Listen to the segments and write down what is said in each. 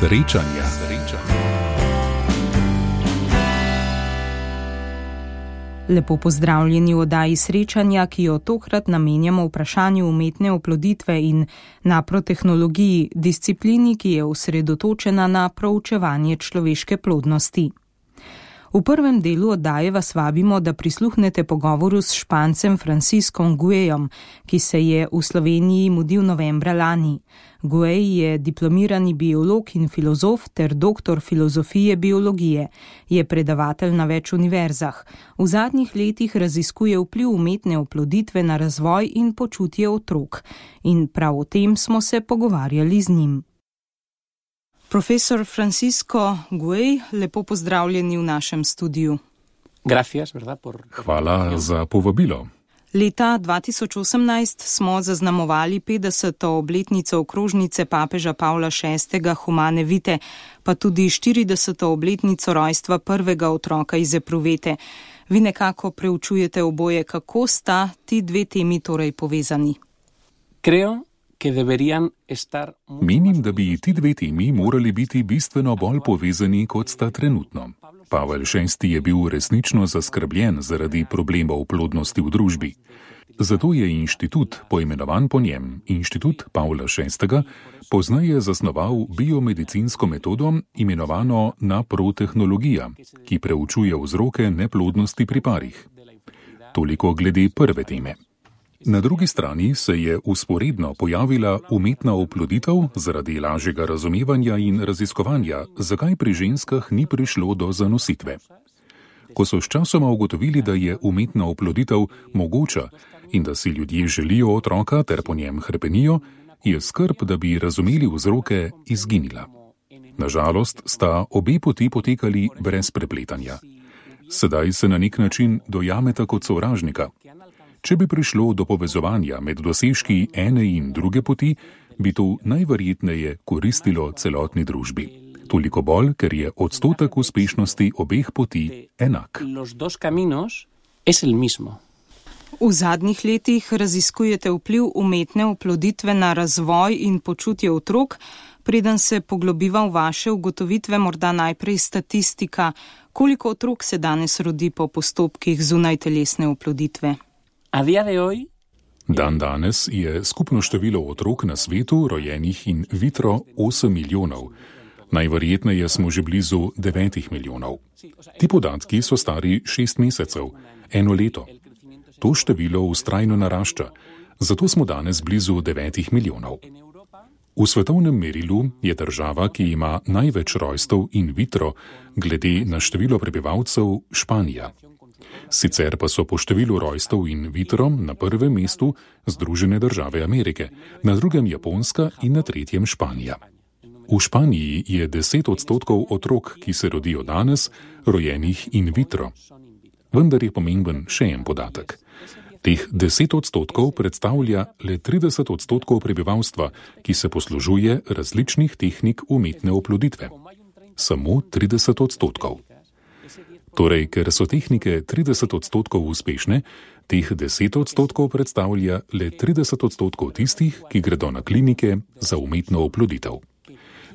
Srečanja. Lepo pozdravljeni v oddaji Srečanja, ki jo tokrat namenjamo vprašanju umetne oploditve in naprotehnologiji, disciplini, ki je osredotočena na proučevanje človeške plodnosti. V prvem delu oddaje vas vabimo, da prisluhnete pogovoru s Špancem Franciscom Güellom, ki se je v Sloveniji mudil novembra lani. Güell je diplomirani biolog in filozof ter doktor filozofije biologije. Je predavatelj na več univerzah. V zadnjih letih raziskuje vpliv umetne oploditve na razvoj in počutje otrok. In prav o tem smo se pogovarjali z njim. Profesor Francisco Güell, lepo pozdravljeni v našem studiu. Hvala za povabilo. Leta 2018 smo zaznamovali 50. obletnico okrožnice papeža Pavla VI. Humane Vitae, pa tudi 40. obletnico rojstva prvega otroka iz epruvete. Vi nekako preučujete oboje, kako sta ti dve temi torej povezani? Menim, da bi ti dve temi morali biti bistveno bolj povezani, kot sta trenutno. Pavel VI. Je bil resnično zaskrbljen zaradi problemov plodnosti v družbi. Zato je inštitut, poimenovan po njem, Inštitut Pavla VI., pozneje zasnoval biomedicinsko metodo, imenovano naprotehnologija, ki preučuje vzroke neplodnosti pri parih. Toliko glede prve teme. Na drugi strani se je vzporedno pojavila umetna oploditev zaradi lažjega razumevanja in raziskovanja, zakaj pri ženskah ni prišlo do zanositve. Ko so sčasoma ugotovili, da je umetna oploditev mogoča in da si ljudje želijo otroka ter po njem hrepenijo, je skrb, da bi razumeli vzroke, izginila. Nažalost sta obe poti potekali brez prepletanja. Sedaj se na nek način dojameta kot sovražnika. Če bi prišlo do povezovanja med dosežki ene in druge poti, bi to najverjetneje koristilo celotni družbi. Toliko bolj, ker je odstotek uspešnosti obeh poti enak. V zadnjih letih raziskujete vpliv umetne oploditve na razvoj in počutje otrok. Preden se poglobiva v vaše ugotovitve, morda najprej statistika. Koliko otrok se danes rodi po postopkih zunajtelesne oploditve? Danes je skupno število otrok na svetu, rojenih in vitro, 8 milijonov. Najverjetneje smo že blizu 9 milijonov. Ti podatki so stari 6 mesecev, 1 leto. To število vztrajno narašča, zato smo danes blizu 9 milijonov. V svetovnem merilu je država, ki ima največ rojstev in vitro, glede na število prebivalcev, Španija. Sicer pa so po številu rojstev in vitro na prvem mestu Združene države Amerike, na drugem Japonska in na tretjem Španija. V Španiji je 10% otrok, ki se rodijo danes, rojenih in vitro. Vendar je pomemben še en podatek. Teh 10% predstavlja le 30% prebivalstva, ki se poslužuje različnih tehnik umetne oploditve. Samo 30%. Torej, ker so tehnike 30% uspešne, teh 10% predstavlja le 30% tistih, ki gredo na klinike za umetno oploditev.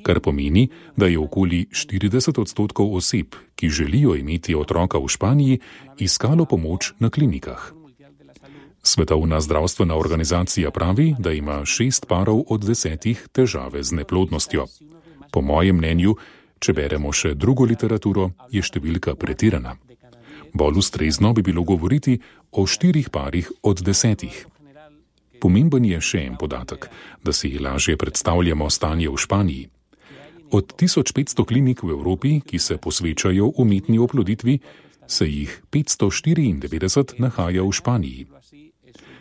Kar pomeni, da je okoli 40% oseb, ki želijo imeti otroka v Španiji, iskalo pomoč na klinikah. Svetovna zdravstvena organizacija pravi, da ima 6 parov od 10 težave z neplodnostjo. Po mojem mnenju, če beremo še drugo literaturo, je številka pretirana. Bolj ustrezno bi bilo govoriti o 4 parih od 10. Pomemben je še en podatek, da si lažje predstavljamo stanje v Španiji. Od 1500 klinik v Evropi, ki se posvečajo umetni oploditvi, se jih 594 nahaja v Španiji.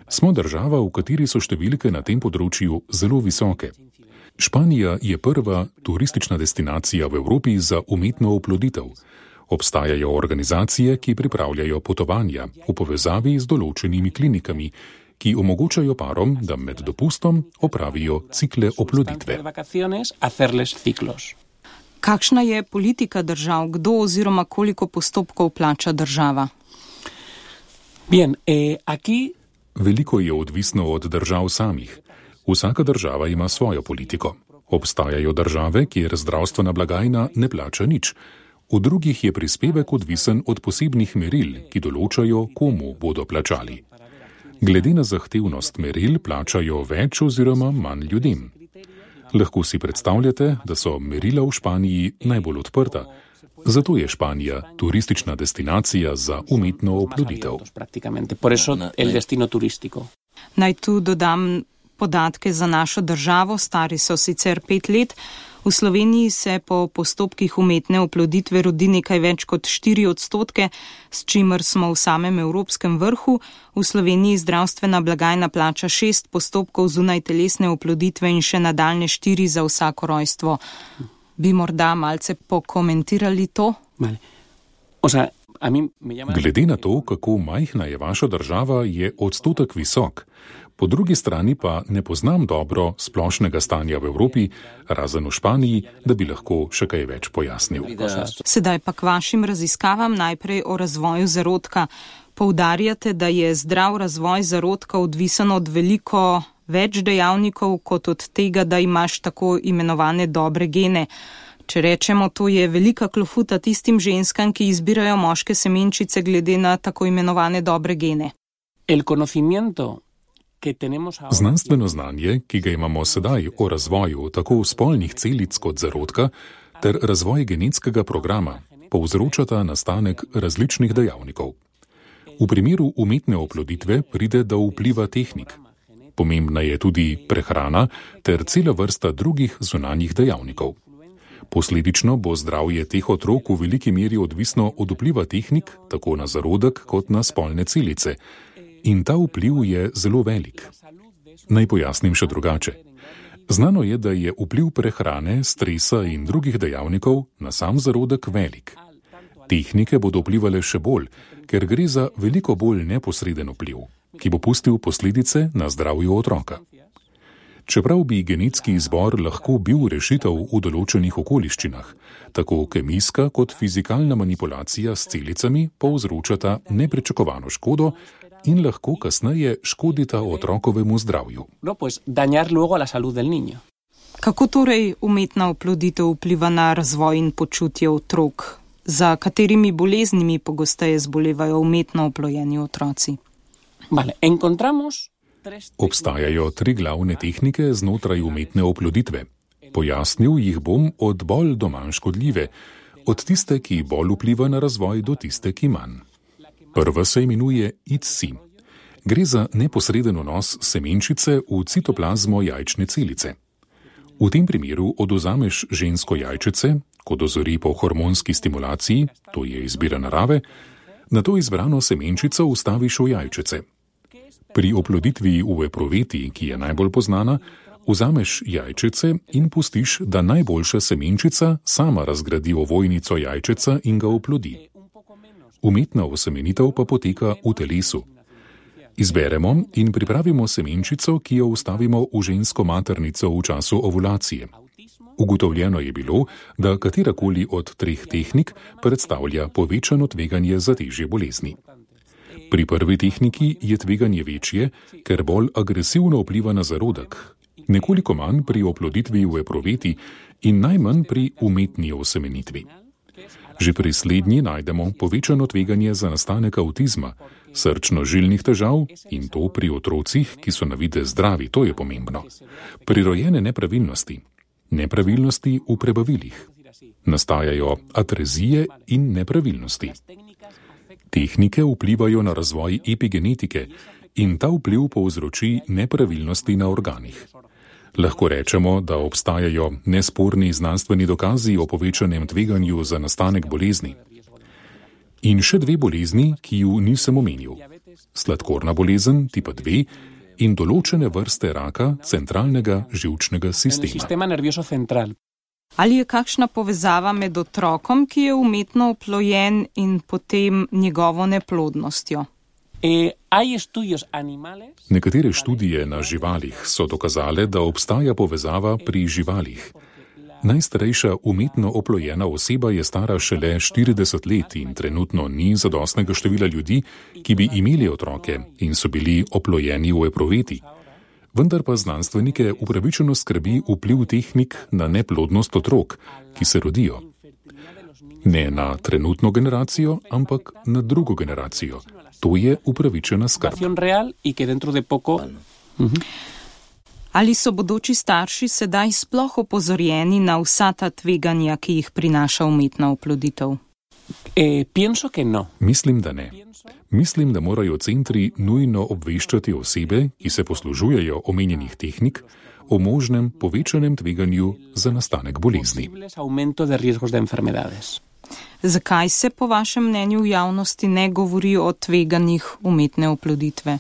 Smo država, v kateri so številke na tem področju zelo visoke. Španija je prva turistična destinacija v Evropi za umetno oploditev. Obstajajo organizacije, ki pripravljajo potovanja v povezavi z določenimi klinikami, ki omogočajo parom, da med dopustom opravijo cikle oploditve. Kakšna je politika držav, kdo oziroma koliko postopkov plača država? Veliko je odvisno od držav samih. Vsaka država ima svojo politiko. Obstajajo države, kjer zdravstvena blagajna ne plača nič. V drugih je prispevek odvisen od posebnih meril, ki določajo, komu bodo plačali. Glede na zahtevnost meril plačajo več oziroma manj ljudem. Lahko si predstavljate, da so merila v Španiji najbolj odprta. Zato je Španija turistična destinacija za umetno oploditev. Naj tu dodam podatke za našo državo, stari so sicer 5 let. V Sloveniji se po postopkih umetne oploditve rodi nekaj več kot 4%, s čimer smo v samem evropskem vrhu. V Sloveniji zdravstvena blagajna plača 6 postopkov zunaj telesne oploditve in še nadaljne 4 za vsako rojstvo. Bi morda malce pokomentirali to? Glede na to, kako majhna je vaša država, je odstotek visok. Po drugi strani pa ne poznam dobro splošnega stanja v Evropi, razen v Španiji, da bi lahko še kaj več pojasnil. Sedaj pa k vašim raziskavam, najprej o razvoju zarodka. Poudarjate, da je zdrav razvoj zarodka odvisen od veliko več dejavnikov, kot od tega, da imaš tako imenovane dobre gene. Če rečemo, to je velika klofuta tistim ženskam, ki izbirajo moške semenčice glede na tako imenovane dobre gene. Znanstveno znanje, ki ga imamo sedaj o razvoju tako spolnih celic kot zarodka, ter razvoj genetskega programa, povzročata nastanek različnih dejavnikov. V primeru umetne oploditve pride do vpliva tehnik. Pomembna je tudi prehrana ter cela vrsta drugih zunanjih dejavnikov. Posledično bo zdravje teh otrok v veliki meri odvisno od vpliva tehnik, tako na zarodek kot na spolne celice. In ta vpliv je zelo velik. Naj pojasnim še drugače. Znano je, da je vpliv prehrane, stresa in drugih dejavnikov na sam zarodek velik. Tehnike bodo vplivale še bolj, ker gre za veliko bolj neposreden vpliv, ki bo pustil posledice na zdravju otroka. Čeprav bi genetski izbor lahko bil rešitev v določenih okoliščinah, tako kemijska kot fizikalna manipulacija s celicami povzročata nepričakovano škodo in lahko kasneje škodita otrokovemu zdravju. Kako torej umetna oploditev vpliva na razvoj in počutje otrok? Za katerimi boleznimi pogosteje zbolevajo umetno oplojeni otroci? Obstajajo 3 glavne tehnike znotraj umetne oploditve. Pojasnil jih bom od bolj do manj škodljive, od tiste, ki bolj vpliva na razvoj, do tiste, ki manj. Prva se imenuje ICSI. Gre za neposreden vnos semenčice v citoplazmo jajčne celice. V tem primeru odvzameš žensko jajčice, ko dozori po hormonski stimulaciji, to je izbira narave, nato izbrano semenčico vstaviš v jajčice. Pri oploditvi v epruveti, ki je najbolj poznana, vzameš jajčice in pustiš, da najboljša semenčica sama razgradi ovojnico jajčica in ga oplodi. Umetna osemenitev pa poteka v telesu. Izberemo in pripravimo semenčico, ki jo vstavimo v žensko maternico v času ovulacije. Ugotovljeno je bilo, da katerakoli od 3 tehnik predstavlja povečano tveganje za težje bolezni. Pri prvi tehniki je tveganje večje, ker bolj agresivno vpliva na zarodek, nekoliko manj pri oploditvi v epruveti in najmanj pri umetni osemenitvi. Že pri slednji najdemo povečano tveganje za nastanek avtizma, srčno-žilnih težav in to pri otrocih, ki so na videz zdravi, to je pomembno. Prirojene nepravilnosti, nepravilnosti v prebavilih. Nastajajo atrezije in nepravilnosti. Tehnike vplivajo na razvoj epigenetike in ta vpliv povzroči nepravilnosti na organih. Lahko rečemo, da obstajajo nesporni znanstveni dokazi o povečanem tveganju za nastanek bolezni. In še 2 bolezni, ki ju nisem omenil. Sladkorna bolezen tipa 2 in določene vrste raka centralnega živčnega sistema. Ali je kakšna povezava med otrokom, ki je umetno oplojen, in potem njegovo neplodnostjo? Nekatere študije na živalih so dokazale, da obstaja povezava pri živalih. Najstarejša umetno oplojena oseba je stara šele 40 let in trenutno ni zadostnega števila ljudi, ki bi imeli otroke in so bili oplojeni v epruveti. Vendar pa znanstvenike upravičeno skrbi vpliv tehnik na neplodnost otrok, ki se rodijo. Ne na trenutno generacijo, ampak na drugo generacijo. To je upravičena skrb. Ali so bodoči starši sedaj sploh opozorjeni na vsa ta tveganja, ki jih prinaša umetna oploditev? Mislim, da ne. Mislim, da morajo centri nujno obveščati osebe, ki se poslužujejo omenjenih tehnik, o možnem povečanem tveganju za nastanek bolezni. Zakaj se po vašem mnenju v javnosti ne govori o tveganjih umetne oploditve?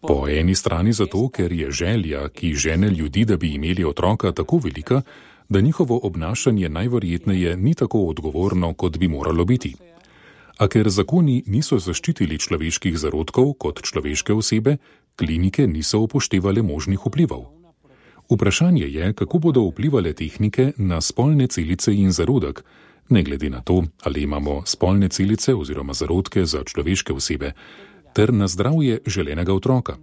Po eni strani zato, ker je želja, ki žene ljudi, da bi imeli otroka, tako velika, da njihovo obnašanje najverjetneje ni tako odgovorno, kot bi moralo biti. A ker zakoni niso zaščitili človeških zarodkov kot človeške osebe, klinike niso upoštevale možnih vplivov. Vprašanje je, kako bodo vplivale tehnike na spolne celice in zarodek, ne glede na to, ali imamo spolne celice oziroma zarodke za človeške osebe, ter na zdravje želenega otroka.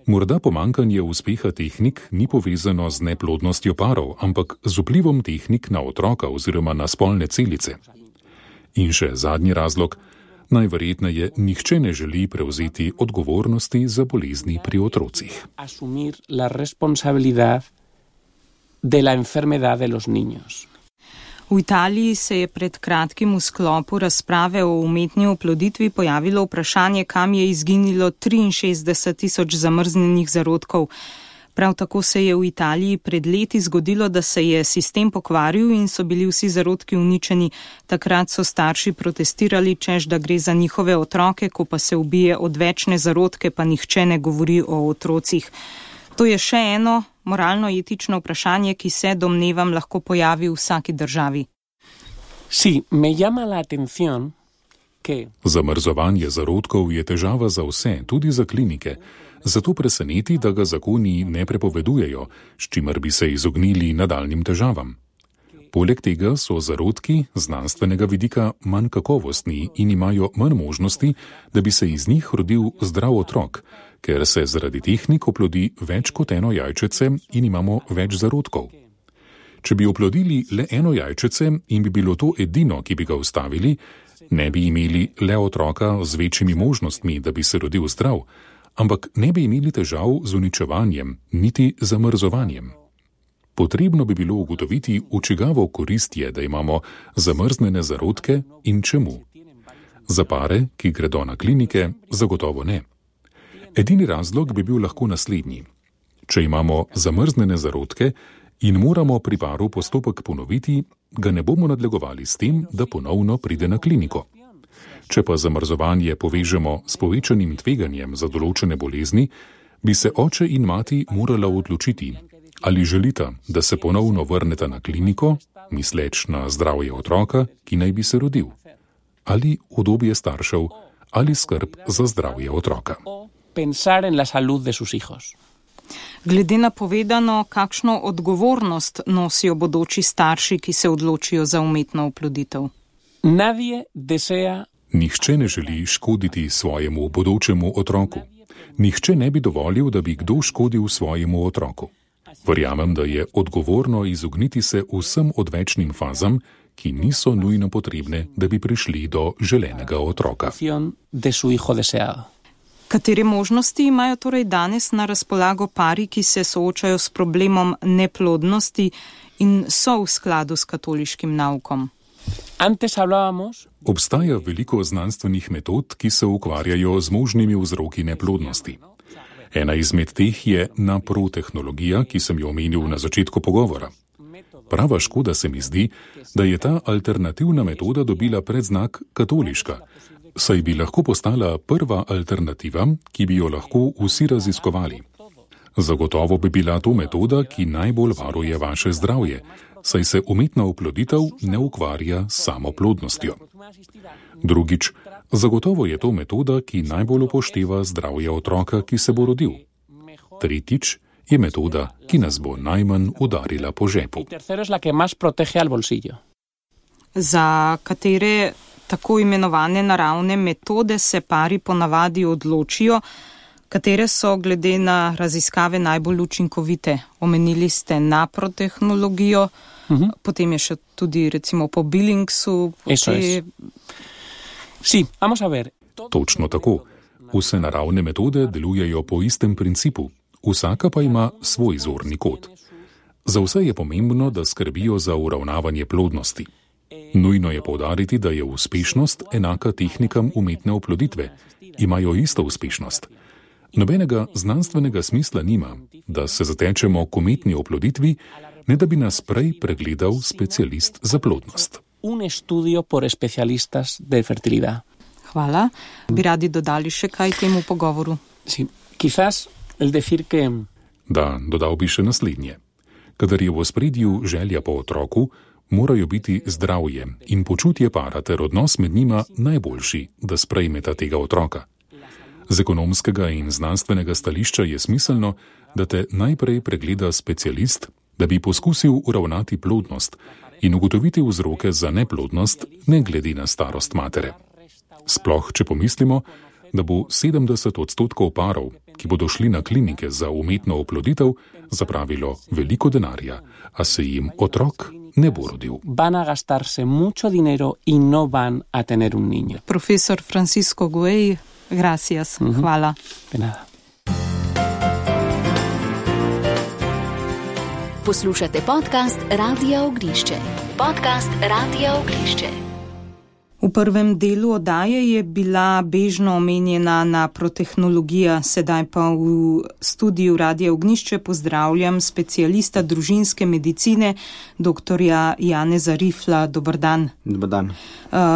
Morda pomanjkanje uspeha tehnik ni povezano z neplodnostjo parov, ampak z vplivom tehnik na otroka oziroma na spolne celice. In še zadnji razlog, najverjetneje nihče ne želi prevzeti odgovornosti za bolezni pri otrocih. V Italiji se je pred kratkim v sklopu razprave o umetni oploditvi pojavilo vprašanje, kam je izginilo 63.000 zamrznjenih zarodkov. Prav tako se je v Italiji pred leti zgodilo, da se je sistem pokvaril in so bili vsi zarodki uničeni. Takrat so starši protestirali, češ da gre za njihove otroke, ko pa se ubije odvečne zarodke, pa nihče ne govori o otrocih. To je še eno moralno-etično vprašanje, ki se, domnevam, lahko pojavi v vsaki državi. Zamrzovanje zarodkov je težava za vse, tudi za klinike. Zato preseneti, da ga zakoni ne prepovedujejo, s čimer bi se izognili nadaljnjim težavam. Poleg tega so zarodki z znanstvenega vidika manj kakovostni in imajo manj možnosti, da bi se iz njih rodil zdrav otrok, ker se zaradi tehnik oplodi več kot eno jajčece in imamo več zarodkov. Če bi oplodili le eno jajčece in bi bilo to edino, ki bi ga ustavili, ne bi imeli le otroka z večjimi možnostmi, da bi se rodil zdrav, ampak ne bi imeli težav z uničevanjem, niti zamrzovanjem. Potrebno bi bilo ugotoviti, v čigavo korist je, da imamo zamrznjene zarodke in čemu. Za pare, ki gredo na klinike, zagotovo ne. Edini razlog bi bil lahko naslednji. Če imamo zamrznjene zarodke in moramo pri paru postopek ponoviti, ga ne bomo nadlegovali s tem, da ponovno pride na kliniko. Če pa zamrzovanje povežemo s povečanim tveganjem za določene bolezni, bi se oče in mati morala odločiti, ali želita, da se ponovno vrneta na kliniko, misleč na zdravje otroka, ki naj bi se rodil, ali udobje staršev, ali skrb za zdravje otroka. Glede na povedano, kakšno odgovornost nosijo bodoči starši, ki se odločijo za umetno oploditev? Nihče ne želi škoditi svojemu bodočemu otroku. Nihče ne bi dovolil, da bi kdo škodil svojemu otroku. Verjamem, da je odgovorno izogniti se vsem odvečnim fazam, ki niso nujno potrebne, da bi prišli do želenega otroka. Katere možnosti imajo torej danes na razpolago pari, ki se soočajo s problemom neplodnosti in so v skladu s katoliškim naukom? Obstaja veliko znanstvenih metod, ki se ukvarjajo z možnimi vzroki neplodnosti. Ena izmed teh je naprotehnologija, ki sem jo omenil na začetku pogovora. Prava škoda se mi zdi, da je ta alternativna metoda dobila predznak katoliška, saj bi lahko postala prva alternativa, ki bi jo lahko vsi raziskovali. Zagotovo bi bila to metoda, ki najbolj varuje vaše zdravje, saj se umetna oploditev ne ukvarja s samoplodnostjo. Drugič, zagotovo je to metoda, ki najbolj upošteva zdravje otroka, ki se bo rodil. Tretjič, je metoda, ki nas bo najmanj udarila po žepu. Za katere tako imenovane naravne metode se pari ponavadi odločijo, Katere so glede na raziskave najbolj učinkovite? Omenili ste naprotehnologijo, potem je še tudi recimo po Billingsu. Točno tako. Vse naravne metode delujejo po istem principu, vsaka pa ima svoj zorni kot. Za vse je pomembno, da skrbijo za uravnavanje plodnosti. Nujno je poudariti, da je uspešnost enaka tehnikam umetne oploditve. Imajo isto uspešnost. Nobenega znanstvenega smisla nima, da se zatečemo k umetni oploditvi, ne da bi nas prej pregledal specialist za plodnost. Hvala. Bi radi dodali še kaj temu pogovoru? Da, dodal bi še naslednje. Kadar je v ospredju želja po otroku, morajo biti zdravje in počutje para ter odnos med njima najboljši, da sprejmeta tega otroka. Z ekonomskega in znanstvenega stališča je smiselno, da te najprej pregleda specialist, da bi poskusil uravnati plodnost in ugotoviti vzroke za neplodnost, ne glede na starost matere. Sploh, če pomislimo, da bo 70% parov, ki bodo šli na klinike za umetno oploditev, zapravilo veliko denarja, a se jim otrok ne bo rodil. Profesor Francisco Guej, gracias. Hvala. Poslušate podcast Radia Oglišče. V prvem delu oddaje je bila bežno omenjena naprotehnologija, sedaj pa v studiu Radia Ognjišče pozdravljam specialista družinske medicine, doktorja Janeza Rifla. Dober dan. Dober dan.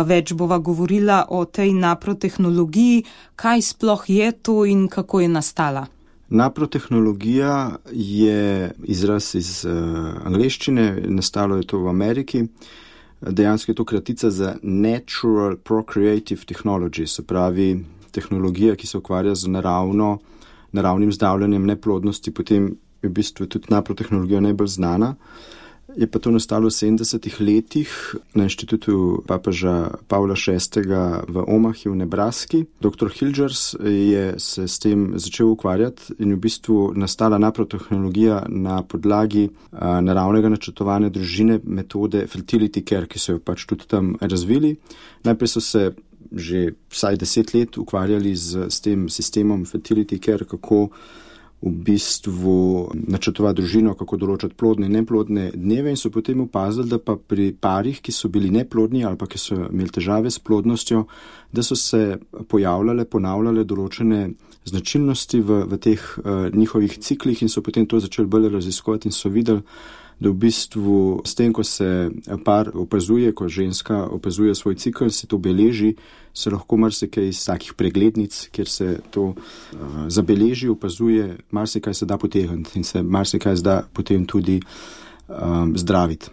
Več bova govorila o tej naprotehnologiji, kaj sploh je to in kako je nastala. Naprotehnologija je izraz iz angleščine, nastalo je to v Ameriki. Dejansko je to kratica za Natural Procreative Technology, se pravi tehnologija, ki se ukvarja z naravnim zdravljenjem neplodnosti, potem je v bistvu tudi naprotehnologija najbolj znana. Je pa to nastalo v 70-ih letih na inštitutu papeža Pavla VI. V Omahi v Nebraski. Dr. Hilgers je se s tem začel ukvarjati in v bistvu nastala naprotehnologija na podlagi naravnega načrtovanja družine, metode fertility care, ki so jo pač tudi tam razvili. Najprej so se že vsaj 10 let ukvarjali s tem sistemom fertility care, kako v bistvu načrtovati družino, kako določati plodne in neplodne dneve, in so potem opazili, da pa pri parih, ki so bili neplodni ali pa ki so imeli težave s plodnostjo, da so se ponavljale določene značilnosti v teh njihovih ciklih in so potem to začeli bolj raziskovati in so videli, da v bistvu s tem, ko se par opazuje, ko ženska opazuje svoj cikl, se to beleži, se lahko marsikaj iz takih preglednic, kjer se to zabeleži, opazuje, marsikaj se da potegniti in se marsikaj da potem tudi zdraviti.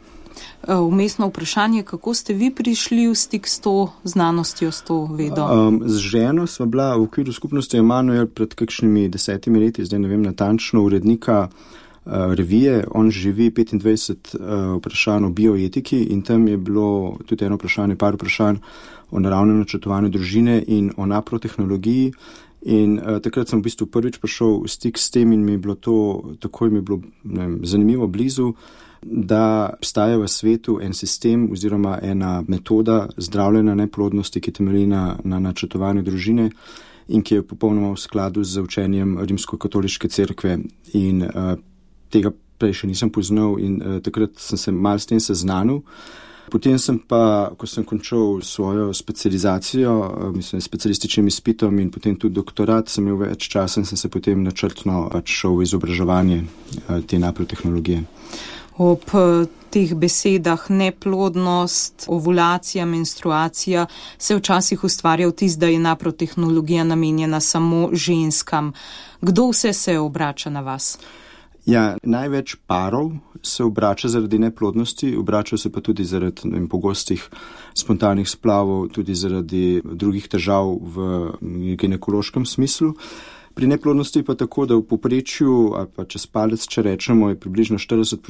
Vmesno vprašanje, kako ste vi prišli v stik s to znanostjo, s to vedo? Z ženo sva bila v okviru skupnosti Emanuel pred kakšnimi 10 leti, zdaj ne vem natančno, urednika revije. On živi 25 vprašanj o bioetiki in tam je bilo tudi par vprašanj o naravnem načrtovanju družine in o naprotehnologiji. In takrat sem v bistvu prvič prišel v stik s tem in mi je bilo to, takoj mi je bilo zanimivo blizu, da obstaja v svetu en sistem oziroma ena metoda zdravljenja neplodnosti, ki temelji na načrtovanju družine in ki je popolnoma v skladu z učenjem Rimsko-katoliške cerkve. In tega prej še nisem poznal in takrat sem se malo s tem seznanil. Potem sem pa, ko sem končal svojo specializacijo, specialističnim izpitom in potem tudi doktorat, sem imel več časa in sem se potem načrtno šel v izobraževanje te naprotehnologije. Ob teh besedah neplodnost, ovulacija, menstruacija se včasih ustvarja vtis, da je naprotehnologija namenjena samo ženskam. Kdo vse se obrača na vas? Ja, največ parov se obrača zaradi neplodnosti, obračajo se pa tudi zaradi pogostih spontanih splavov, tudi zaradi drugih težav v ginekološkem smislu. Pri neplodnosti pa tako, da v povprečju, ali pa čez palec, če rečemo, je približno 40%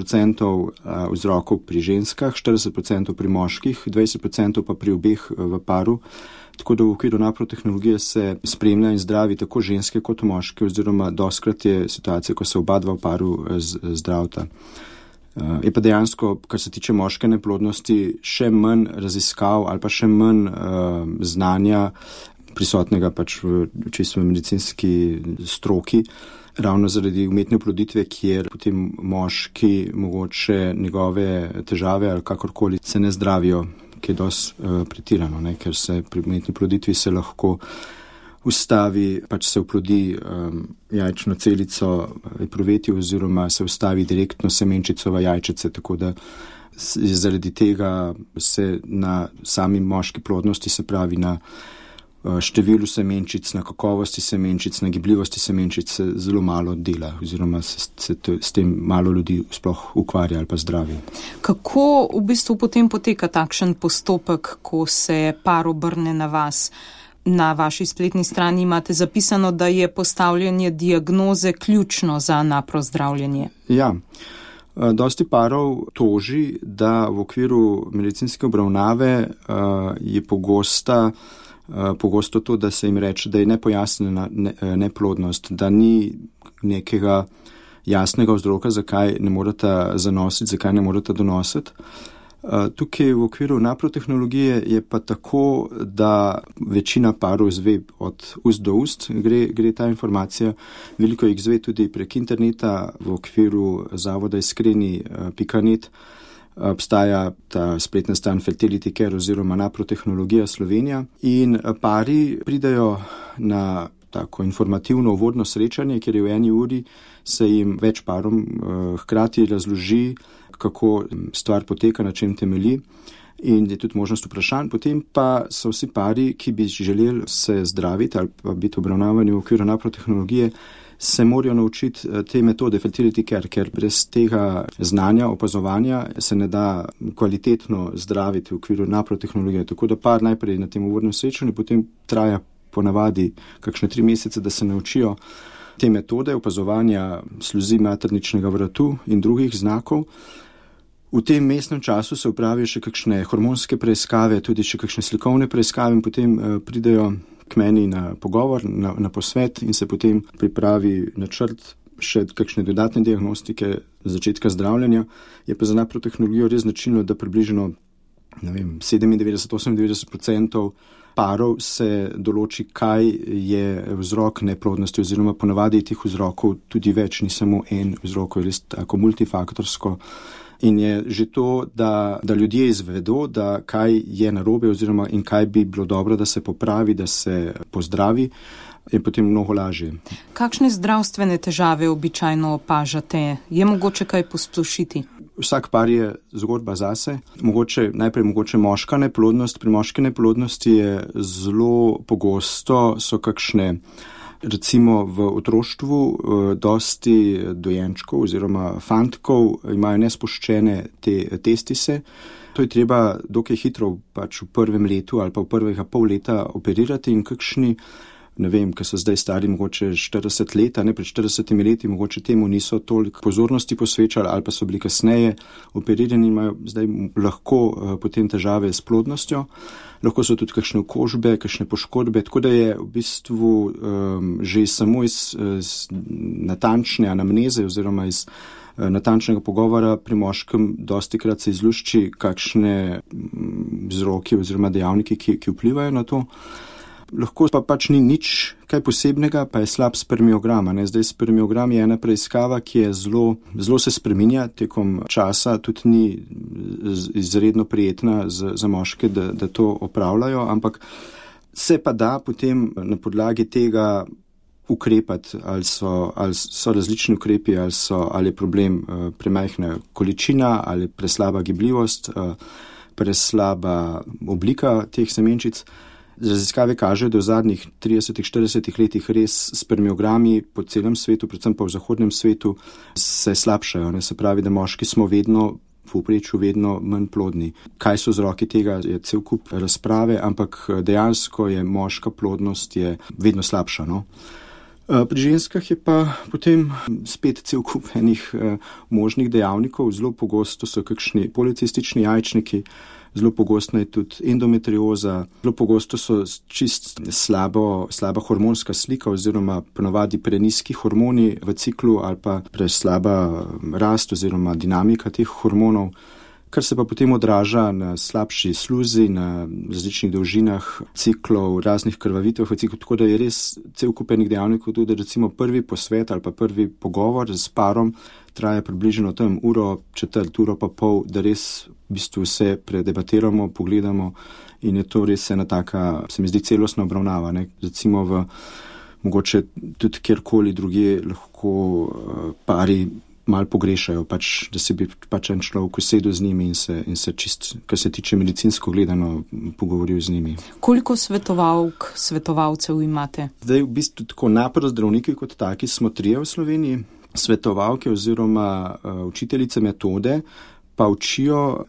vzrokov pri ženskah, 40% pri moških, 20% pa pri obeh v paru. Tako da v okviru naprotehnologije se spremlja in zdravi tako ženske kot moški, oziroma dostikrat je situacija, ko se oba dva v paru zdravita. Je pa dejansko, kar se tiče moške neplodnosti, še manj raziskav ali pa še manj znanja prisotnega pač v čisto medicinski stroki, ravno zaradi umetne oploditve, kjer potem moški mogoče njegove težave ali kakorkoli se ne zdravijo, ki je dosti pretirano, ker se pri umetni oploditvi se lahko ustavi, pač se oplodi jajčno celico epruveti oziroma se ustavi direktno semenčico v jajčice, tako da zaradi tega se na sami moški plodnosti, se pravi na številu semenčic, na kakovosti semenčic, na gibljivosti semenčic se zelo malo dela oziroma se s tem malo ljudi sploh ukvarja ali pa zdravi. Kako v bistvu potem poteka takšen postopek, ko se par obrne na vas? Na vaši spletni strani imate zapisano, da je postavljanje diagnoze ključno za napro zdravljenje. Ja. Dosti parov toži, da v okviru medicinske obravnave je pogosto to, da se jim reče, da je nepojasnjena neplodnost, da ni nekega jasnega vzroka, zakaj ne morata zanositi, zakaj ne morata donositi. Tukaj v okviru naprotehnologije je pa tako, da večina parov izve od ust do ust, gre ta informacija. Veliko jih izve tudi prek interneta v okviru zavoda iskreni.net. Obstaja ta spletna stran Fertility Care oziroma Naprotehnologija Slovenija in pari pridajo na tako informativno uvodno srečanje, kjer je v 1 uri se jim več parom hkrati razloži, kako stvar poteka, na čem temelji in je tudi možnost vprašanj. Potem pa so vsi pari, ki bi želeli se zdraviti ali pa biti obravnavani v okviru naprotehnologije, se morajo naučiti te metode Fertility Care, ker brez tega znanja, opazovanja se ne da kvalitetno zdraviti v okviru naprotehnologije. Tako da par najprej na tem uvodnem srečanju, potem traja ponavadi kakšne 3 mesece, da se naučijo te metode opazovanja sluzi materničnega vratu in drugih znakov. V tem mestnem času se opravijo še kakšne hormonske preiskave, tudi še kakšne slikovne preiskave in potem pridejo k meni na pogovor, na posvet in se potem pripravi načrt še kakšne dodatne diagnostike začetka zdravljenja. Je pa za naprotehnologijo res značilno, da približno 97-98% parov se določi, kaj je vzrok neplodnosti oziroma ponavadi teh vzrokov tudi več, ni samo en vzrok, je res tako multifaktorsko. In je že to, da ljudje izvedo, da kaj je narobe oziroma in kaj bi bilo dobro, da se popravi, da se pozdravi, je potem mnogo lažje. Kakšne zdravstvene težave običajno opažate? Je mogoče kaj posplošiti? Vsak par je zgodba zase. Najprej moška neplodnost. Pri moški neplodnosti je zelo pogosto, so kakšne, recimo v otroštvu, dosti dojenčkov oziroma fantkov imajo nespuščene te testise. To je treba dokaj hitro pač v prvem letu ali pa v prvega pol leta operirati in kakšni, ne vem, ki so zdaj stari mogoče 40 let, ne, pred 40 leti mogoče temu niso toliko pozornosti posvečali ali pa so bili kasneje operirani, imajo zdaj lahko potem težave s plodnostjo. Lahko so tudi kakšne okužbe, kakšne poškodbe, tako da je v bistvu že samo iz natančne anamneze oziroma iz natančnega pogovora pri moškem dostikrat se izlušči kakšne vzroki oziroma dejavniki, ki vplivajo na to. Lahko pa pač ni nič kaj posebnega, pa je slab spermiogram. Zdaj spermiogram je ena preiskava, ki je zelo se spreminja tekom časa, tudi ni izredno prijetna za moške, da to opravljajo, ampak se pa da potem na podlagi tega ukrepati, ali so različni ukrepi, ali je problem premajhna količina, ali preslaba gibljivost, preslaba oblika teh semenčic. Raziskave kažejo, da v zadnjih 30-40 letih res spermiogrami po celem svetu, predvsem pa v zahodnem svetu, se slabšajo. Se pravi, da moški smo v povprečju vedno manj plodni. Kaj so vzroki tega, je cel kup razprave, ampak dejansko je moška plodnost vedno slabša. Pri ženskah je pa potem spet cel kup enih možnih dejavnikov. Zelo pogosto so kakšni policistični jajčniki, zelo pogosto je tudi endometrioza, zelo pogosto so čist slaba hormonska slika oziroma ponavadi preniski hormoni v ciklu ali pa preslaba rast oziroma dinamika teh hormonov, kar se pa potem odraža na slabši sluzi, na različnih dolžinah ciklov, raznih krvavitev v ciklu, tako da je res cel kup enih dejavnikov tudi, recimo prvi posvet ali pa prvi pogovor s parom traja približno tam uro, četrt, uro pa pol, da res v bistvu vse predebatiramo, pogledamo in je to res ena taka, se mi zdi, celostna obravnava, ne? Recimo mogoče tudi kjerkoli drugje lahko pari malo pogrešajo, da se bi en človek usedel z njimi in se čist, kar se tiče medicinsko gledano, pogovoril z njimi. Koliko svetovalcev imate? Zdaj v bistvu tako naprej zdravniki kot taki smo 3 v Sloveniji, svetovalke oziroma učiteljice metode pa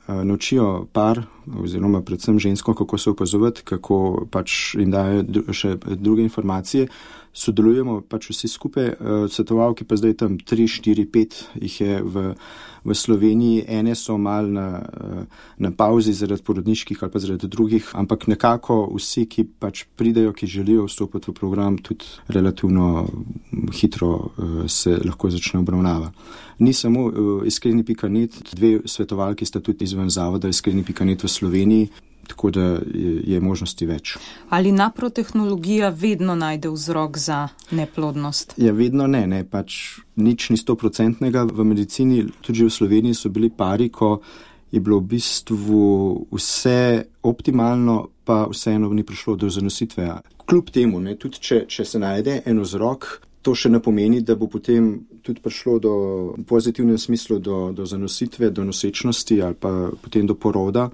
naučijo par oziroma predvsem žensko, kako se opazovati, kako jim dajo še druge informacije. Sodelujemo vsi skupaj, svetovalke pa zdaj tam 3, 4, 5 jih je v Sloveniji, ene so malo na pauzi zaradi porodniških ali pa zaradi drugih, ampak nekako vsi, ki pridejo, ki želijo vstopiti v program, tudi relativno hitro se lahko začne obravnava. Ni samo iskreni.net, 2 svetovalki sta tudi izven zavoda iskreni.net v Sloveniji, tako da je možnosti več. Ali naprotehnologija vedno najde vzrok za neplodnost? Ja, vedno ne, nič ni 100% v medicini. Tudi v Sloveniji so bili pari, ko je bilo v bistvu vse optimalno, pa vseeno ni prišlo do zanositve. Kljub temu, tudi če se najde en vzrok, to še ne pomeni, da bo potem tudi prišlo v pozitivnem smislu do zanositve, do nosečnosti ali pa potem do poroda.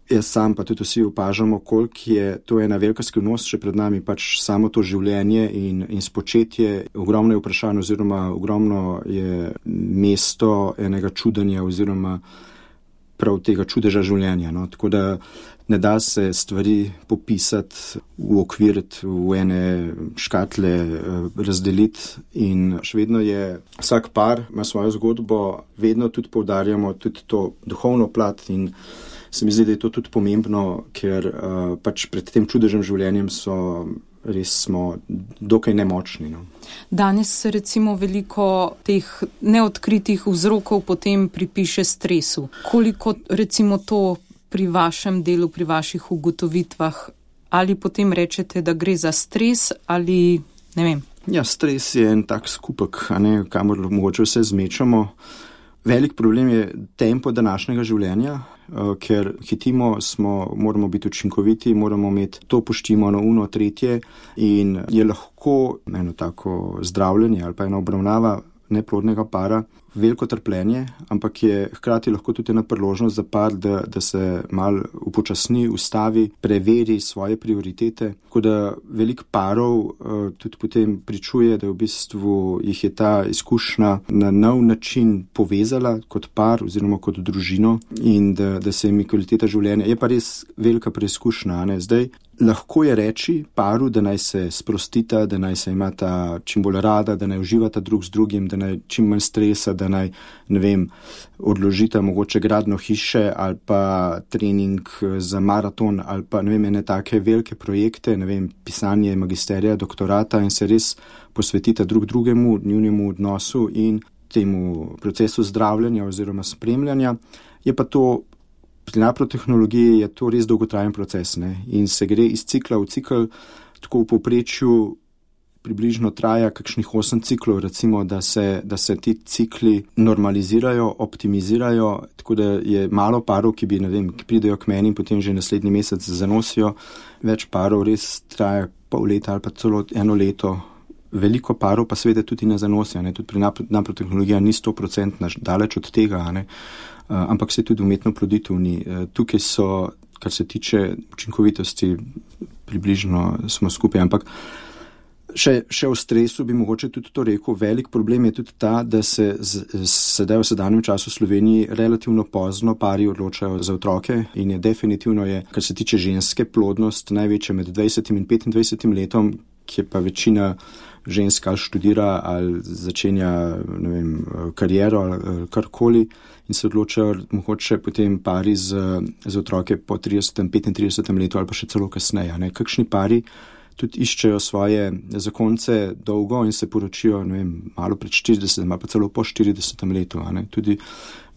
Jaz sam pa tudi vsi opažamo, koliko je to ena velika skrivnost še pred nami, samo to življenje in spočetje. Ogromno je vprašanj oziroma ogromno je mesto enega čudenja oziroma prav tega čudeža življenja. No? Tako da ne da se stvari popisati, uokviriti v ene škatle, razdeliti in še vedno je vsak par ima svojo zgodbo, vedno tudi poudarjamo tudi to duhovno plat in se mi zdi, da je to tudi pomembno, ker pred tem čudežem življenjem smo dokaj nemočni. No. Danes se recimo veliko teh neodkritih vzrokov potem pripiše stresu. Koliko recimo to pri vašem delu, pri vaših ugotovitvah, ali potem rečete, da gre za stres ali ne vem? Ja, stres je en tak skupek, kamor mogoče vse zmečamo. Velik problem je tempo današnjega življenja, ker hitimo, moramo biti učinkoviti, moramo imeti to poštimo na uno, tretje in je lahko eno tako zdravljenje ali pa ena obravnava neplodnega para veliko trpljenje, ampak je hkrati lahko tudi ena priložnost za par, da se malo upočasni, ustavi, preveri svoje prioritete. Tako da veliko parov tudi potem pričuje, da v bistvu jih je ta izkušnja na nov način povezala kot par oziroma kot družino in da se jim kvaliteta življenja. Je pa res velika preizkušnja. Zdaj, lahko je reči paru, da naj se sprostita, da naj se imata čim bolj rada, da naj uživata drug z drugim, da naj čim manj stresa, da naj, odložita mogoče gradno hiše ali pa trening za maraton ali pa, ene take velike projekte, pisanje magisterija, doktorata in se res posvetita drug drugemu, njunemu odnosu in temu procesu zdravljenja oziroma spremljanja. Je pa to pri naprotehnologiji je to res dolgotrajen proces, in se gre iz cikla v cikl, tako v povprečju približno traja kakšnih 8 ciklov, recimo, da se ti cikli normalizirajo, optimizirajo, tako da je malo parov, ki pridejo k meni in potem že naslednji mesec zanosijo. Več parov res traja pol leta ali pa celo 1 leto. Veliko parov pa seveda tudi ne zanosijo, tudi pri naprotehnologija ni 100% daleč od tega, ampak se tudi umetno ploditev ni. Tukaj so, kar se tiče učinkovitosti, približno smo skupaj, ampak še o stresu bi mogoče tudi to rekel. Velik problem je tudi ta, da se sedaj v sedanjem času v Sloveniji relativno pozno pari odločajo za otroke in je definitivno, kar se tiče ženske, plodnost največja med 20 in 25 letom, kjer pa večina žensk ali študira ali začenja, ne vem, kariero ali karkoli in se odločajo mogoče potem pari z otroke po 30, 35 letu ali pa še celo kasneje. Ne. Kakšni pari tudi iščejo svoje zakonce dolgo in se poročijo, ne vem, malo pred 40, malo pa celo po 40 letu. Ne. Tudi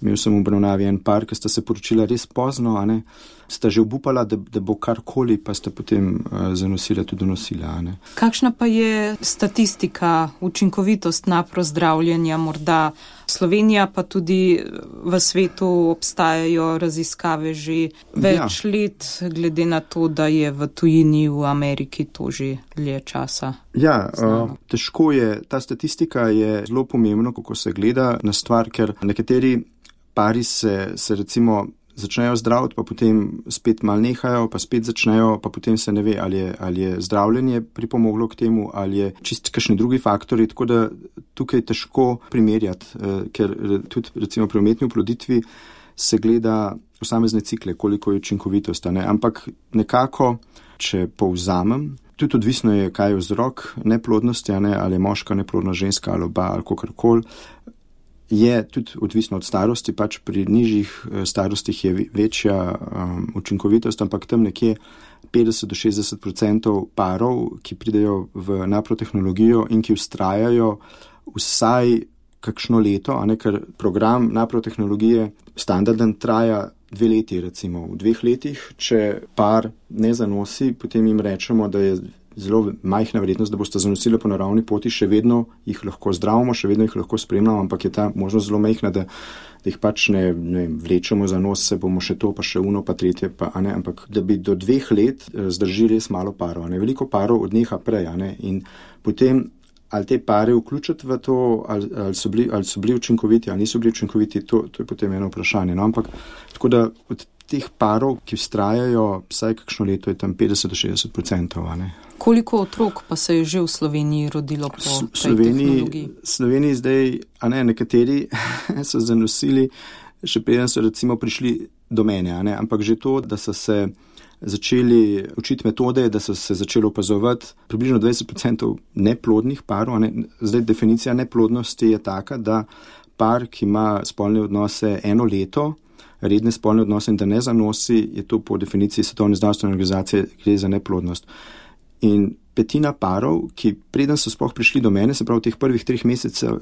imel sem v obravnavi en par, ki sta se poročila res pozno, ne. Sta že obupala, da bo karkoli, pa sta potem zanosila tudi donosila. Ne. Kakšna pa je statistika, učinkovitost naprozdravljenja? Morda Slovenija, pa tudi v svetu obstajajo raziskave že več let, glede na to, da je v tujini v Ameriki to že dlje časa. Ja, težko je. Ta statistika je zelo pomembno, kako se gleda na stvar, ker nekateri pari se recimo začnejo zdraviti, pa potem spet mal nehajo, pa spet začnejo, pa potem se ne ve, ali je zdravljenje pripomoglo k temu, ali je čist kakšni drugi faktori, tako da tukaj je težko primerjati, ker tudi recimo pri umetni oploditvi se gleda posamezne cikle, koliko je učinkovitost, ne? Ampak nekako, če povzamem, tudi odvisno je, kaj je vzrok neplodnosti, ne? Ali je moška neplodna, ženska ali oba ali kakorkoli, je tudi odvisno od starosti, pač pri nižjih starostih je večja učinkovitost, ampak tam nekje 50 do 60% parov, ki pridejo v naprotehnologijo in ki vztrajajo vsaj kakšno leto, a ne, ker program naprotehnologije standarden traja 2 leti, recimo. V 2 letih, če par ne zanosi, potem jim rečemo, da je zelo majhna verjetnost, da boste zanosili po naravni poti, še vedno jih lahko zdravimo, še vedno jih lahko spremljamo, ampak je ta možnost zelo majhna, da jih pač ne vlečemo za nos, se bomo še to, pa še uno, pa tretje, pa, a ne, ampak da bi do 2 let zdrži res malo parov, a ne, veliko parov odneha prej, a ne, in potem ali te pare vključiti v to, ali so bili učinkoviti, ali niso bili učinkoviti, to je potem eno vprašanje, no, ampak tako da od teh parov, ki vztrajajo vsaj kakšno leto, je tam 50 do 60%, a ne. Koliko otrok pa se je že v Sloveniji rodilo po tej tehnologiji? V Sloveniji zdaj, a ne, nekateri so zanosili, še preden so recimo prišli do mene, a ne, ampak že to, da so se začeli učiti metode, da so se začeli opazovati približno 20% neplodnih parov, a ne. Zdaj definicija neplodnosti je taka, da par, ki ima spolne odnose 1 leto, redne spolne odnose in da ne zanosi, je to po definiciji Svetovne zdravstvene organizacije, gre za neplodnost. In 1/5 parov, ki preden so sploh prišli do mene, se pravi v teh prvih 3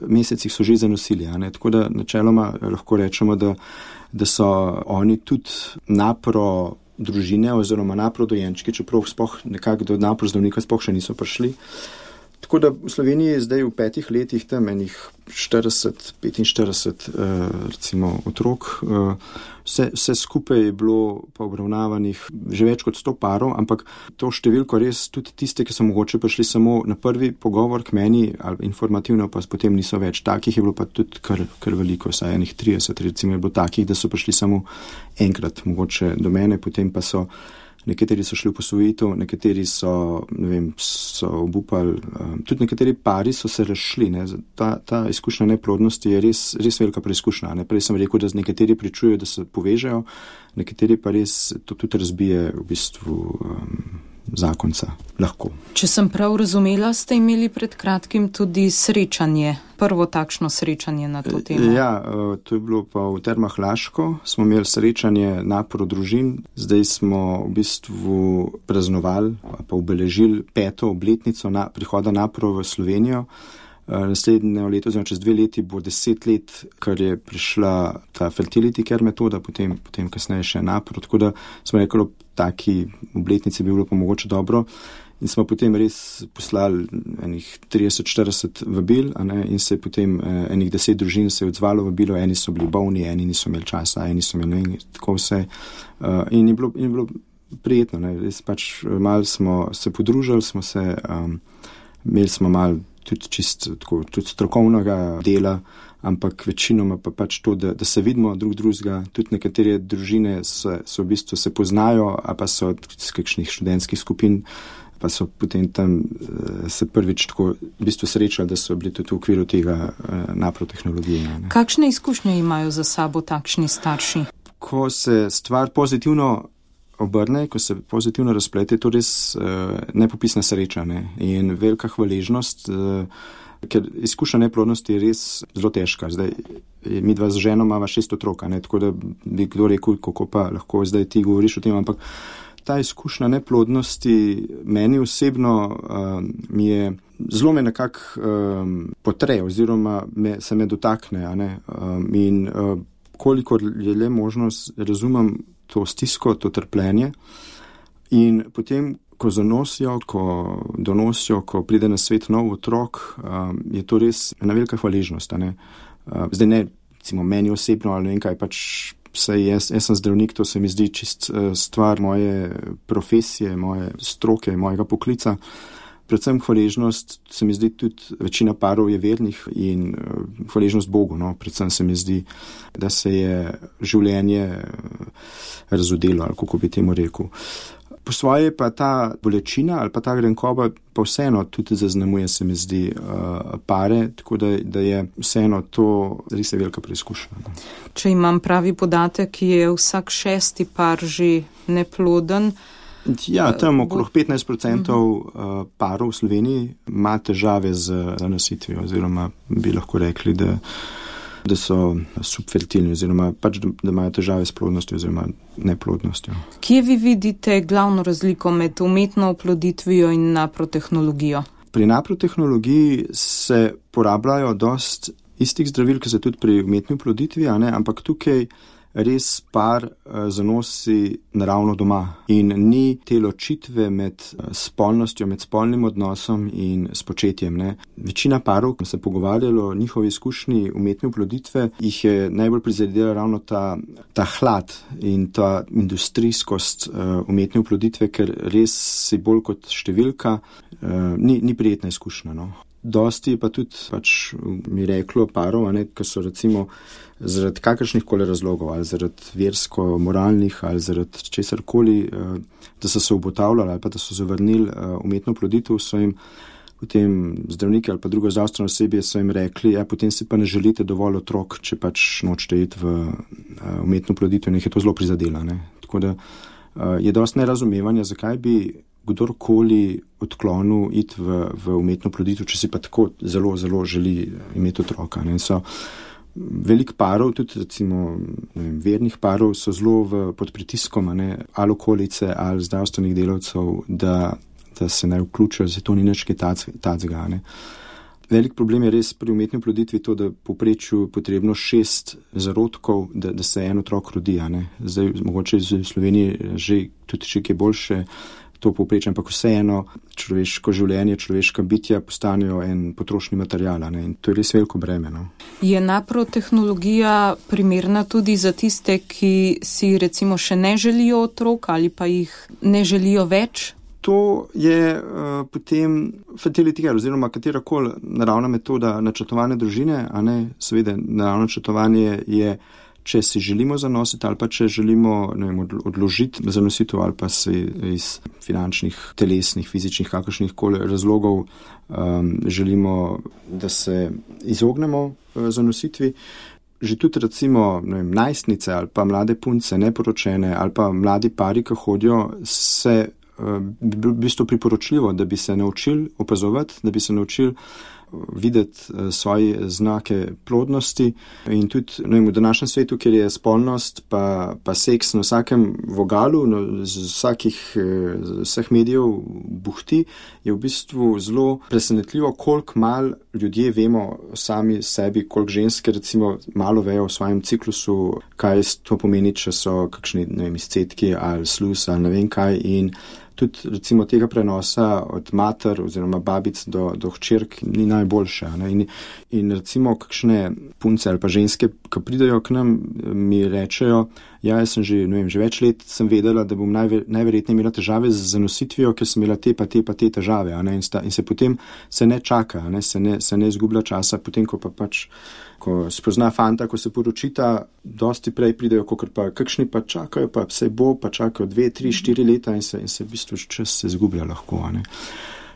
mesecih so že zanosili, a ne? Tako da načeloma lahko rečemo, da so oni tudi napro družine oziroma napro dojenčki, čeprav sploh nekako do napro zdravnika sploh še niso prišli. Tako da v Sloveniji je zdaj v 5 letih tam enih 40-45 recimo otrok. Vse skupaj je bilo pa obravnavanih že več kot 100 parov, ampak to številko res tudi tiste, ki so mogoče prišli samo na prvi pogovor k meni ali informativno, pa potem niso več. Takih je bilo pa tudi kar veliko, saj enih 30 recimo je bilo takih, da so prišli samo enkrat mogoče do mene, potem pa so nekateri so šli v posvojitev, nekateri so, ne vem, so obupali, tudi nekateri pari so se razšli, ne. Ta izkušnja neplodnosti je res velika preizkušnja, ne. Prej sem rekel, da nekateri pričujejo, da se povežejo, nekateri pa res to tudi razbije v bistvu zakonca. Lahko. Če sem prav razumela, ste imeli pred kratkim tudi srečanje, prvo takšno srečanje na to temo. Ja, to je bilo pa v Termah Laško, smo imeli srečanje napro družin, zdaj smo v bistvu praznovali, pa obeležili 5. obletnico prihoda napro v Slovenijo. Naslednje leto, oziroma čez 2 leti bo 10 let, kar je prišla ta fertility care metoda, potem kasneje še napro, tako da smo rekli, taki obletnici bi bilo pa mogoče dobro in smo potem res poslali enih 30-40 vabil, a ne, in se je potem enih 10 družin se je odzvalo vabilo, eni so bili bolni, eni niso imeli časa, eni so imeli, ne, tako vse, in je bilo prijetno, ne, res pač malo smo se podružili, smo se, imeli smo malo tudi čisto tako, tudi strokovnega dela, ampak večinoma pa pač to, da se vidimo drugega, tudi nekatere družine so v bistvu se poznajo, a pa so iz kakšnih študentskih skupin, pa so potem tam se prvič tako v bistvu srečali, da so bili tudi v okviru tega naprotehnologije. Ne. Kakšne izkušnje imajo za sabo takšni starši? Ko se stvar pozitivno obrne, ko se pozitivno razplete, je to res nepopisna sreča, ne? In velika hvaležnost, ker izkušnja neplodnosti je res zelo težka. Zdaj, mi dva z ženo imava 6 otrok, ne? Tako da bi kdo rekel, kako pa lahko zdaj ti govoriš o tem, ampak ta izkušnja neplodnosti meni osebno mi je zelo me nekako potre oziroma se me dotakne, a ne? In kolikor je le možnost, razumem to stisko, to trpljenje in potem, ko zanosijo, ko donosijo, ko pride na svet nov otrok, je to res ena velika hvaležnost, a ne? Zdaj ne, recimo, meni osebno ali ne vem kaj, pač vsaj jaz sem zdravnik, to se mi zdi čist stvar moje profesije, moje stroke, mojega poklica. Predvsem hvaležnost se mi zdi tudi, večina parov je vernih in hvaležnost Bogu, no, predvsem se mi zdi, da se je življenje razodelo, ali kako bi temu rekel. Po svoje pa ta bolečina ali pa ta grenkoba pa vseeno tudi zaznamuje, se mi zdi, pare, tako da je vseeno to res velika preizkušnja. Če imam pravi podatek, je vsak 6. par že neploden. Ja, tam okrog 15% parov v Sloveniji ima težave z zanositvijo, oziroma bi lahko rekli, da so subfertilni, oziroma pač, da imajo težave s plodnostjo oziroma neplodnostjo. Kje vi vidite glavno razliko med umetno oploditvijo in naprotehnologijo? Pri naprotehnologiji se porabljajo dost istih zdravil, ki se tudi pri umetni oploditvi, a ne, ampak tukaj res par zanosi naravno doma in ni te ločitve med spolnostjo, med spolnim odnosom in spočetjem, ne. Večina parov, ko se pogovarjalo o njihovi izkušnji umetne oploditve, jih je najbolj prizadela ravno ta hlad in ta industrijskost umetne oploditve, ker res si bolj kot številka, ni prijetna izkušnja, no. Dosti pa tudi pač mi reklo parov, ki so recimo zaradi kakršnih koli razlogov, ali zaradi versko-moralnih, ali zaradi česarkoli, da so se obotavljali ali pa da so zavrnili umetno oploditev, so jim potem zdravniki ali pa drugo zdravstveno osebje so jim rekli, potem si pa ne želite dovolj otrok, če pač nočete iti v umetno oploditev, in jih je to zelo prizadela, ne. Tako da je dosti nerazumevanja, zakaj bi kdorkoli odklonil iti v umetno oploditev, če si pa tako zelo, zelo želi imeti otroka, ne. So veliko parov, tudi recimo vernih parov, so zelo pod pritiskom, ne, ali okolice, ali zdravstvenih delavcev, da se naj vključijo, zato to ni nič kaj tacga, ne. Velik problem je res pri umetni oploditvi to, da povprečju potrebno 6 zarodkov, da se en otrok rodi, ne. Zdaj, mogoče v Sloveniji že tudi še kaj boljše to povprečje, ampak vseeno človeško življenje, človeška bitja postanejo en potrošni material, ne, in to je res veliko breme, no. Je naprotehnologija primerna tudi za tiste, ki si recimo še ne želijo otrok ali pa jih ne želijo več? To je potem fertility care, oziroma katerakoli naravna metoda načrtovanja družine, a ne, seveda naravno načrtovanje je, če si želimo zanositi ali pa če želimo, ne vem, odložiti zanositev ali pa se iz finančnih, telesnih, fizičnih, kakršnih koli razlogov želimo, da se izognemo zanositvi. Že tudi recimo, ne vem, najstnice ali pa mlade punce, neporočene ali pa mladi pari, ki hodijo, se v bistvu priporočljivo, da bi se naučili opazovati, da bi se naučili videti svoje znake plodnosti in tudi, ne vem, v današnjem svetu, kjer je spolnost pa seks na vsakem vogalu, vseh medijev buhti, je v bistvu zelo presenetljivo, koliko malo ljudje vemo sami sebi, koliko ženske recimo malo vejo v svojem ciklusu, kaj to pomeni, če so kakšni, ne vem, izcedki ali sluz ali ne vem kaj, in tudi recimo tega prenosa od mater oziroma babic do hčerk ni najboljše, ne? In recimo kakšne punce ali pa ženske, ki pridejo k nam, mi rečejo, jaz sem že več let sem vedela, da bom najverjetneje imela težave z zanositvijo, ker sem imela te te težave, ne? In se potem se ne čaka, ne? Se ne izgublja časa, potem ko pa pač ko spozna fanta, ko se poročita, dosti prej pridejo, kakšni pa čakajo, pa vse bo, pa čakajo 2, 3, 4 leta in se v bistvu čas se izgublja lahko, ne.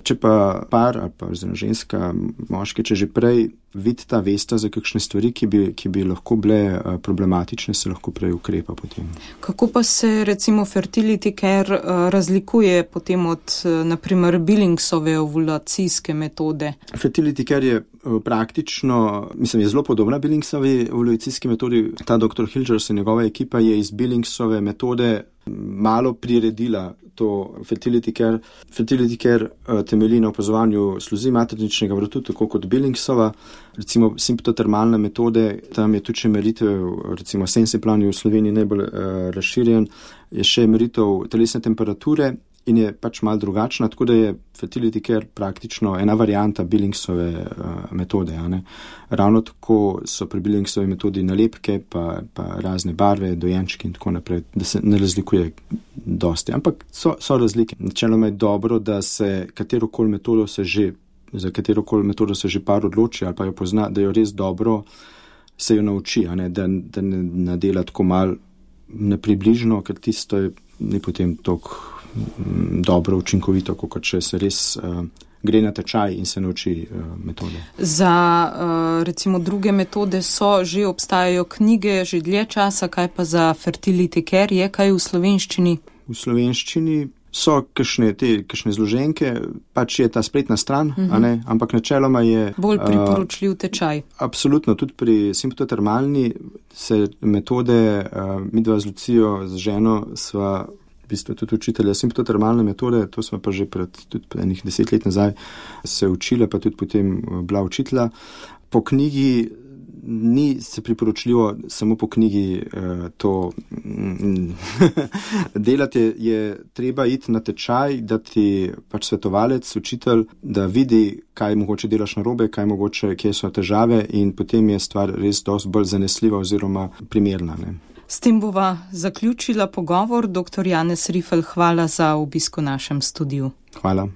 Če pa par ali pa ženska, moški, če že prej vidita, vesta za kakšne stvari, ki bi lahko bile problematične, se lahko prej ukrepa potem. Kako pa se recimo fertility care razlikuje potem od naprimer Billingsove ovulacijske metode? Fertility care je praktično, je zelo podobna Billingsovi ovulacijski metodi. Ta dr. Hilgers in njegova ekipa je iz Billingsove metode malo priredila to fertility care. Fertility care temelji na opazovanju sluzi materničnega vratu, tako kot Billingsova. Recimo simptotermalne metode, tam je tudi še meritev, recimo sensiplan je v Sloveniji najbolj razširjen, je še meritev telesne temperature in je pač malo drugačna, tako da je fertility care praktično ena varianta Billingsove metode. Ravno tako so pri Billingsovi metodi nalepke, pa razne barve, dojenčki in tako naprej, da se ne razlikuje dosti. Ampak so razlike. Načeloma je dobro, da se katerokoli metodo se že par odloči ali pa jo pozna, da jo res dobro se jo nauči, da ne dela tako malo nepribližno, ker tisto je ni potem toliko dobro, učinkovito, kot če se res gre na tečaj in se nauči metode. Za recimo druge metode že obstajajo knjige, že dlje časa, kaj pa za fertility care je kaj v slovenščini? V slovenščini so kakšne zloženke, pač je ta spletna stran, ampak načeloma je bolj priporočljiv tečaj. Absolutno, tudi pri simptotermalni se metode, midva z Lucijo, z ženo, sva v bistvu tudi učitelja simptotermalne metode, to smo pa že pred enih 10 let nazaj se učila, pa tudi potem bila učitelja. Po knjigi ni se priporočljivo samo po knjigi to delati, je treba iti na tečaj, da ti pač svetovalec, učitelj, da vidi, kaj mogoče delaš narobe, kje so težave in potem je stvar res dosti bolj zanesljiva oziroma primerna. S tem bova zaključila pogovor. Dr. Janez Rifel, hvala za obisk v našem studiu. Hvala.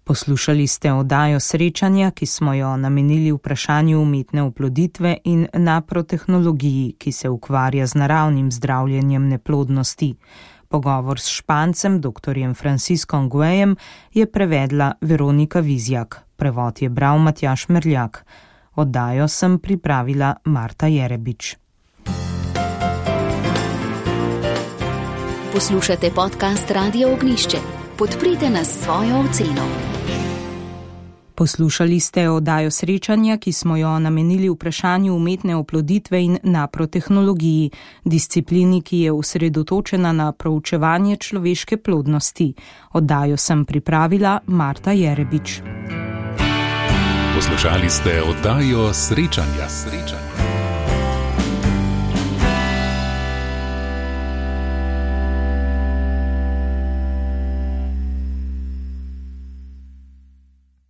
Poslušali ste oddajo Srečanja, ki smo jo namenili vprašanju umetne oploditve in naprotehnologiji, ki se ukvarja z naravnim zdravljenjem neplodnosti. Pogovor s Špancem, dr. Franciskom Guejem, je prevedla Veronika Vizjak. Prevod je bral Matjaž Merljak. Oddajo sem pripravila Marta Jerebič. Poslušate podcast Radio Ognišče. Podprite nas s svojo oceno. Poslušali ste oddajo Srečanja, ki smo jo namenili vprašanju umetne oploditve in naprotehnologiji, disciplini, ki je osredotočena na proučevanje človeške plodnosti. Oddajo sem pripravila Marta Jerebič. Poslušali ste oddajo Srečanja.